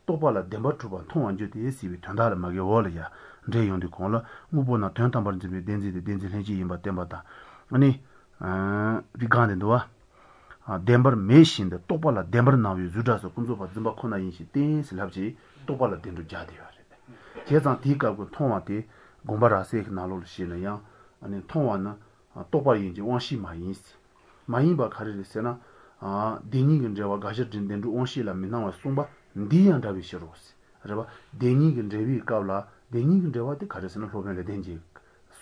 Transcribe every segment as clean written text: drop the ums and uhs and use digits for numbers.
똑바라 덴버투바 통원주디 시비 전달을 막이 월이야 제용디 공라 무보나 전담반집이 덴지 해지 임바 덴바다 아니 리간데도와 덴버 메신데 똑바라 덴버 나위 주다서 군조바 좀바 코나 인시 땡슬합지 똑바라 덴도 자디요 제상 디가고 통화디 공바라세 나로를 시네야 아니 통화나 똑바라 인지 원시 마인시 마인바 가르르세나 데니긴 제와 가셔진 덴도 원시라 미나와 송바 디안다비 시로스 알아봐 데니긴 제비 까블라 데니긴 제와데 가르스는 로벨레 덴지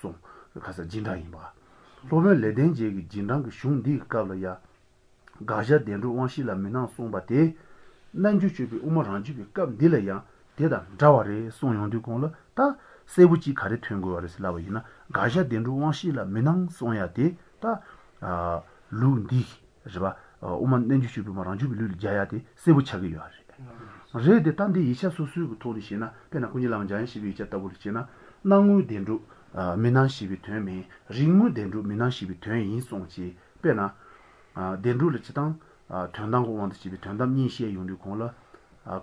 송 가서 진다이바 로벨레 덴지 진당 슝디 까블야 가셔 덴도 원시라 미나 송바데 난주주비 우마란주비 깜딜야 대다 자와레 송용디 공라 다 세부지 가르 튕고와르스 라바이나 가셔 덴도 원시라 미나 송야데 다 루디 알아봐 오만 nenjushi 마란주비 룰 자야데 세부차기 요하리 레데 탄디 이샤 소수고 토리시나 페나 군이랑 잔시비 있었다 버리시나 나무 덴루 미난시비 되미 링무 덴루 미난시비 되인 송지 페나 덴루를 지당 전당고 원드시비 전담 인시에 용류 공라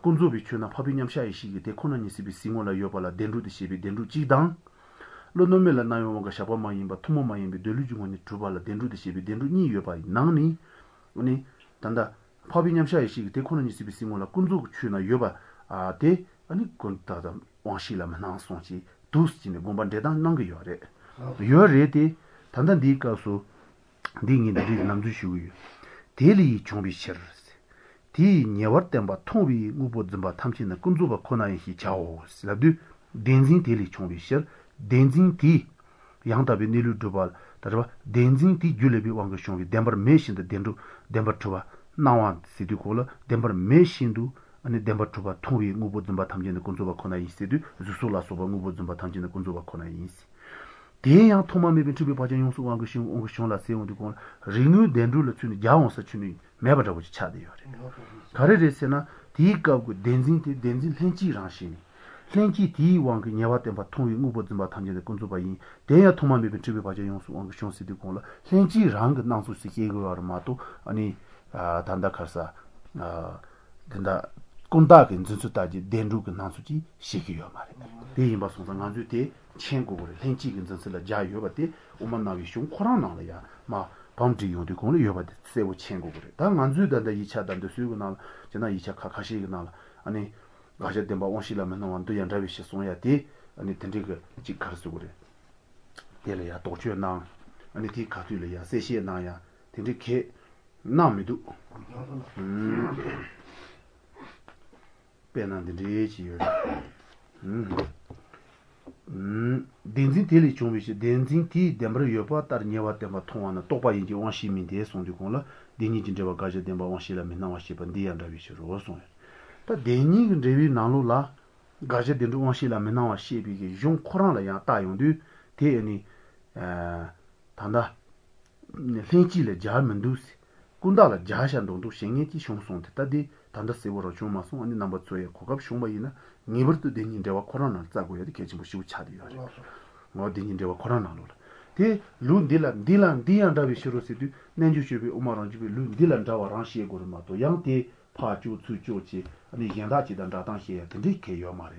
군조비 추나 파비냠샤이 시기 데코나니시비 시모라 요발라 덴루드시비 덴루 지당 로노멜라 나요가 샤바마임바 투모마임비 델루중원이 두발라 덴루드시비 덴루 니 요바이 나니 우니 단다 파비냠샤이 시기 데코나니시비 시모라 군조 추나 요바 데 아니 군타다 왕시라 만나송지 두스지네 곰반데당 난게 요레 요레데 단단 디가소 딩인데 남주시고요 데리 좀비셔 디 녀버템바 통비 무보즘바 탐신의 군조바 코나이히 자오 슬라드 덴진 데리 좀비셔 덴진 디 양답이 니루 두발 다르바 덴진 디 줄레비 왕거숑비 덴버 메신데 덴루 덴버 투바 나완 시디콜라 덴버 메신두 아니 덴버 투바 통비 무보즘바 탐진의 군조바 코나이 시디 주솔라 소바 무보즘바 탐진의 군조바 코나이 시 대양 토마메빈 투비 바전 용수 왕거숑 옹거숑라 세운디 공 리뉴 덴루를 추니 야옹서 추니 매버다고 차대요 가르레세나 디가고 덴진 렌지랑시니 렌지 디 왕그 녀와템바 통위 무보즘바 탐진의 군조바이 대야 토마메빈 투비 바전 용수 왕거숑 시디 공라 렌지랑 나수시 계거마도 아니 단다카사 된다 꼰다게 진짜다지 덴루그 나수지 시기요 말이야 대인바 송상 안주대 천국을 렌지긴 진짜라 자요바데 오만나위 숑 코라나야 마 밤지 요디 공을 요바데 세고 천국을 다 안주다다 2차단도 수고나 제나 2차 카카시기나 아니 가셔 덴바 원시라면 원도 연자비시 송야디 아니 덴디그 지카르스 그래 데려야 도주나 아니 디 카투려야 세시나야 덴디케 나미도 빼난데 레지요 덴진 텔리 좀비시 덴진 티 덴브르 요바 따르녀와 덴바 통하나 똑바인지 원시민데 송디공라 데니진제와 가제 덴바 원시라 맨나 원시반디 안다비시로 오송 다 데니 레비 나로라 가제 덴도 원시라 맨나 원시비게 용 코란라 야 따용디 데니 단다 렌지레 자면두스 군다라 자샨동도 생예지 숑송데 따디 단다 세보로 좀 아니 넘버 2에 고갑 숑바이나 니버도 데닌데와 코로나 짜고야 계지고 시고 차디요. 뭐 데닌데와 코로나로. 데 룬딜란 디안다비 시로시디 nenju시비 오마란지비 룬딜란다와 랑시에 고르마도 양데 파주 추조지 아니 양다지단다 당시에 근데 개요 말에.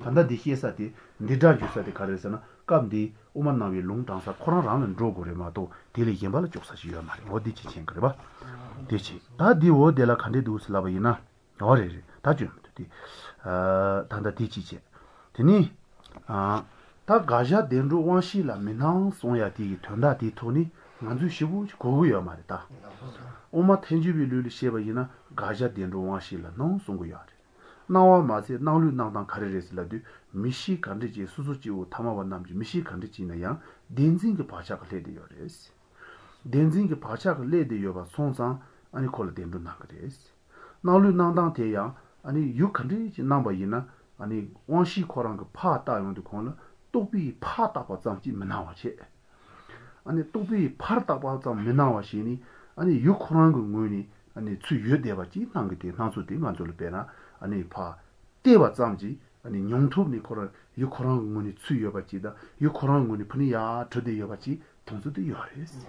단다 디히에사디 니다주사디 가르서나 감디 오만나위 롱당사 코로나라는 로고레마도 딜리 gem발 쪽사시요 말에. 어디지 chen 그래 봐. 되지. 다디오 데라 칸데두스라바이나 어레 다주 단다 디치제 되니 다 가자 덴로 원시라 미낭 송야디 tonda 디토니 만주 시부 고고야 말이다 오마 텐지비르리 셰바이나 가자 덴로 원시라 농 송고야 나와 마세 나울루 나당 카레레슬라디 미시 간디지 수수지우 타마반 남지 미시 간디지나야 덴징게 바샤가 레디요레스 덴징게 바샤가 레디요바 송상 아니 콜 덴도 나그레스 나울루 나당 테야 아니 유컨디 넘버이나 아니 원시 코랑 그 파다용도 코는 또비 파다바 잠지 메나와체 아니 또비 파다바 잠 메나와시니 아니 유코랑 그 뭐니 아니 추여대바지 남게데 나수데 만절을 빼나 아니 파 대바 잠지 아니 용톱니 코랑 유코랑 뭐니 추여바지다 유코랑 뭐니 분이야 저대여바지 통수도 요레스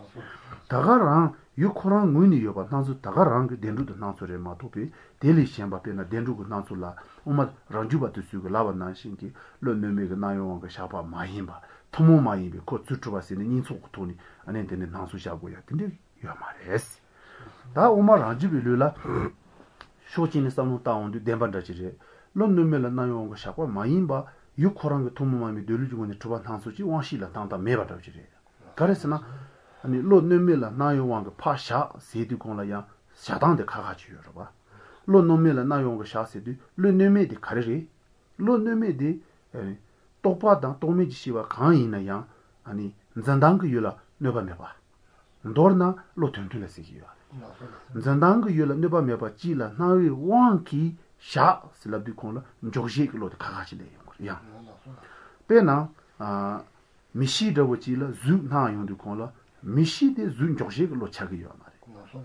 다가랑 유코랑 문이 요바 난수 다가랑 그 덴루도 난소레 마토피 델리 셴바페나 덴루고 난소라 오마 란주바도 수고 라바 난신기 런메메가 나요가 샤바 마힘바 토모 마힘비 코 츠츠바시니 닌소코토니 안엔데네 난수샤고야 근데 요마레스 다 오마 란주빌루라 쇼진이 싸노 다운도 덴반다지레 런메메라 나요가 샤바 마힘바 유코랑 그 토모 마힘비 델루주고니 투바 난수지 왕시라 당다 메바다지레 가레스나 아니 로노멜라 나요왕가 파샤 세디콘라야 샤당데 카가지요 봐 로노멜라 나요왕가 샤세디 로노메디 카레리 로노메디 똑바당 도메지시와 강이나야 아니 잔당그 유라 네바메바 ndorna 로튼튼레시기요 잔당그 유라 네바메바 지라 나위 왕키 샤 슬라비콘라 조지크 로드 카가지레요 야 페나 아 미시더고 지라 주 나용도 콘라 미시데 준 조직으로 차기요 말이야.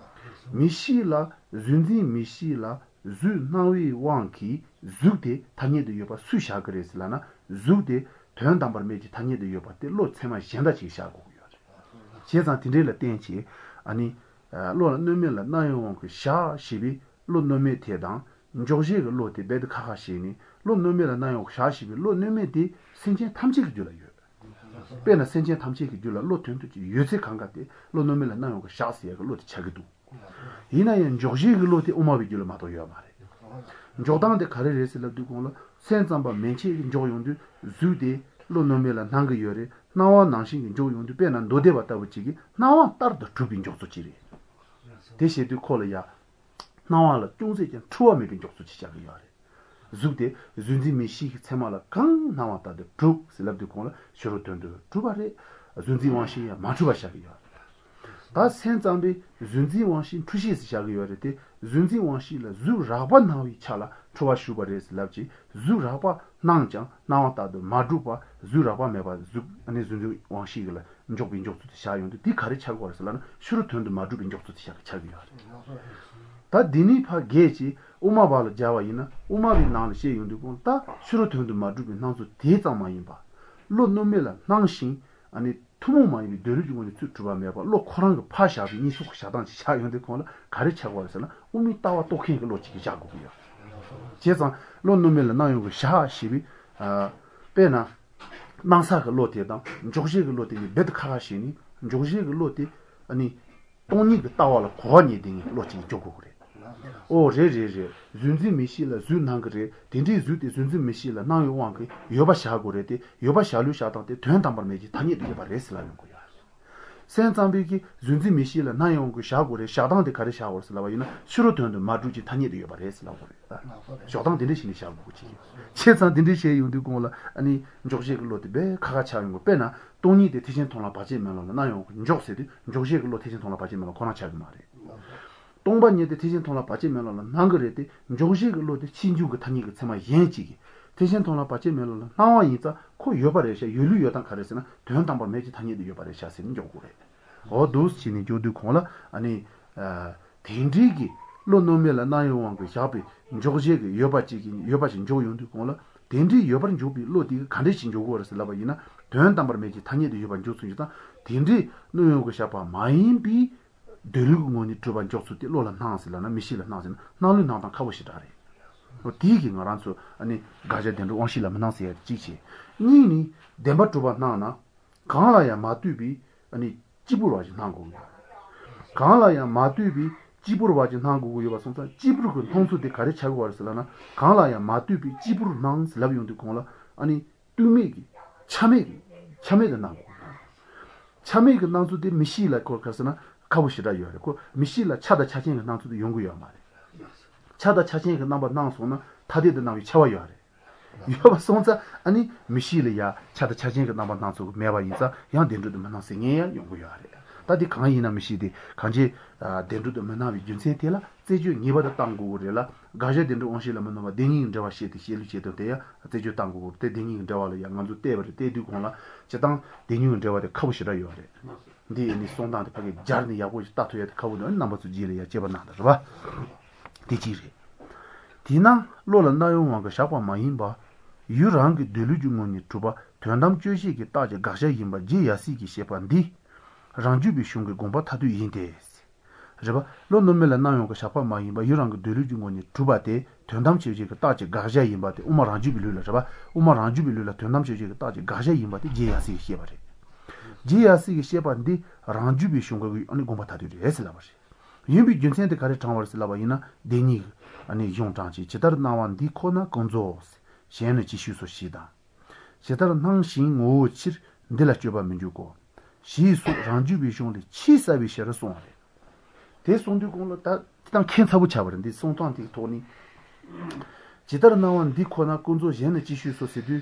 미시라 준지 미시라 주 나위 왕키 주데 타니도 요바 수샤 그랬을라나 주데 된담바메지 타니도 요바데 로 체마 현다지 샤고요. 제상 딘데라 땡치 아니 로 너면라 나용 그샤 시비 로 너메 테당 조직을 로데 베드 카하시니 로 너면라 나용 샤시비 로 너메디 신체 탐지를 줄어요. 배나 senje 탐지 기줄라 로튼도 요새 강가데 로노멜라 나요가 샤스야 로트 차기도 이나연 조지 로트 오마비줄 마도요 말에 조당데 카레레스라 두고라 센잠바 멘치 조용도 주데 로노멜라 난가요레 나와 난신 조용도 배나 노데 봤다 붙이기 나와 따르도 주빈 족소지리 대시도 콜이야 나와라 중세전 추어메 빈 족소지 자기요레 zude zunzi mishi tsemala kang nawata de pru selabdu kola shorotondo tubare zunzi wanshi ya machuba shagiyo da senzambi zunzi wanshi tushi shagiyo rete zunzi wanshi la zu raba nawi chala chuba shubare selabji zu raba nangjang nawata de maduba zu raba meba zu ane zunzi wanshi la njokbi njoktu shayonde di kare chago warsalana shorotondo madubi njoktu shagiyo 다 디니파 게지 오마발 자와이나 오마비 나르시 용두고 다 슈로트운도 마주비 나서 대자마인바 로노멜라 낭신 아니 투모마이 데르주고니 쭈쭈바메바 로 코랑 파샤비 니속 샤단지 샤용데 코나 가르쳐고 와서는 오미 따와 똑킹을 놓치기 자고요 제상 로노멜라 나용고 샤시비 페나 망사가 로테다 조시가 로테 베드카가시니 조시가 로테 아니 돈이가 따와라 고니 딩이 로치 조고 그래 오 제제제 준지 미시라 준한그레 딘디 주디 준지 미시라 나요 왕게 요바샤고레데 요바샤루샤다데 된담바메지 다니도 요바레스라는 거야 센잠비기 준지 미시라 나요 왕게 샤고레 샤당데 가레 샤고르슬라바이나 슈로던도 마주지 다니도 요바레스라고 그래 쇼당 딘디시니 샤고지 체산 딘디시에 용두고라 아니 조시글로데 베 카가차는 거 빼나 돈이데 대신 통라 바지면은 나요 조세디 조시글로 대신 통라 바지면 코나차기 말해 동반예데 대신 통라 빠지면은 난거래데 조식을로데 친주가 타니가 참아 연지기 대신 통라 빠지면은 나와 있다 코 여바래셔 윤류 여당 가르스나 된담바 매지 타니도 여바래셔서는 요구래 어도스치니 조두 콜라 아니 딘디기 로노멜라 나요왕고 샤비 조식이 여바지기 여바진 조용도 콜라 딘디 여바린 조비 로디 간데신 조고르스 라바이나 된담바 매지 타니도 여반 조수이다 딘디 노요고 샤바 마인비 데르고니 트반 쪽수티 로라 나스라나 미실라 나스나 나루 나다 카보시다레 디기 나란소 아니 가제덴도 원실라 나스야 지치 니니 덴바 트바 나나 강라야 마투비 아니 지부로지 나고 강라야 마투비 지부로지 나고 요바 손사 지부로 통수데 가르치고 왔을라나 강라야 마투비 지부로 나스 라비온도 콜라 아니 투미기 참메도 나고 참메가 나수데 미실라 콜카스나 가보시라 요래고 미실라 차다 차진이 나도 연구요 말에 차다 차진이 넘버 나서는 다디도 나위 차와요 하래 이거 손자 아니 미실이야 차다 차진이 넘버 나서 매바 인자 양 된도도 만나생이야 연구요 하래 다디 강이나 미시디 간지 된도도 만나위 준세텔라 제주 니바다 땅고르라 가제 된도 온실라 만나마 댕이 저와 시티 실루체도 돼야 제주 땅고 때 댕이 저와를 양간도 때버리 때도 콜라 제당 댕이 저와데 가보시라 요래 니 손단데 파게 자르니 야고 따토야 카고는 남버스 지리야 제바나다 봐 디지리 디나 로란다용왕가 샤과 마인바 유랑게 델루주모니 투바 된담 주시기 따제 가샤 임바 지야시기 셰반디 랑주비 슝게 공바 타두 인데스 저바 론노멜라 나용가 샤파 마이바 유랑가 드르중고니 두바테 된담치지가 따지 가자 임바테 우마 랑주비르라 저바 우마 랑주비르라 된담치지가 따지 가자 임바테 제야시 시바레 제야시 시바인데 랑주비 슝가 아니 공바 타두리 에슬라바시 yunbi junsen kare changwar silaba ina deni ani yongchangchi chidar nawan di kona gongzo shen chi shu so shida chidar nang shin ngo chir ndela choba minju ko shi su rangju bi shong de chi sa bi shara song de de song de gong la ta ken sabu cha bar de song tang ti to ni chidar nawan di kona gongzo shen chi shu so se du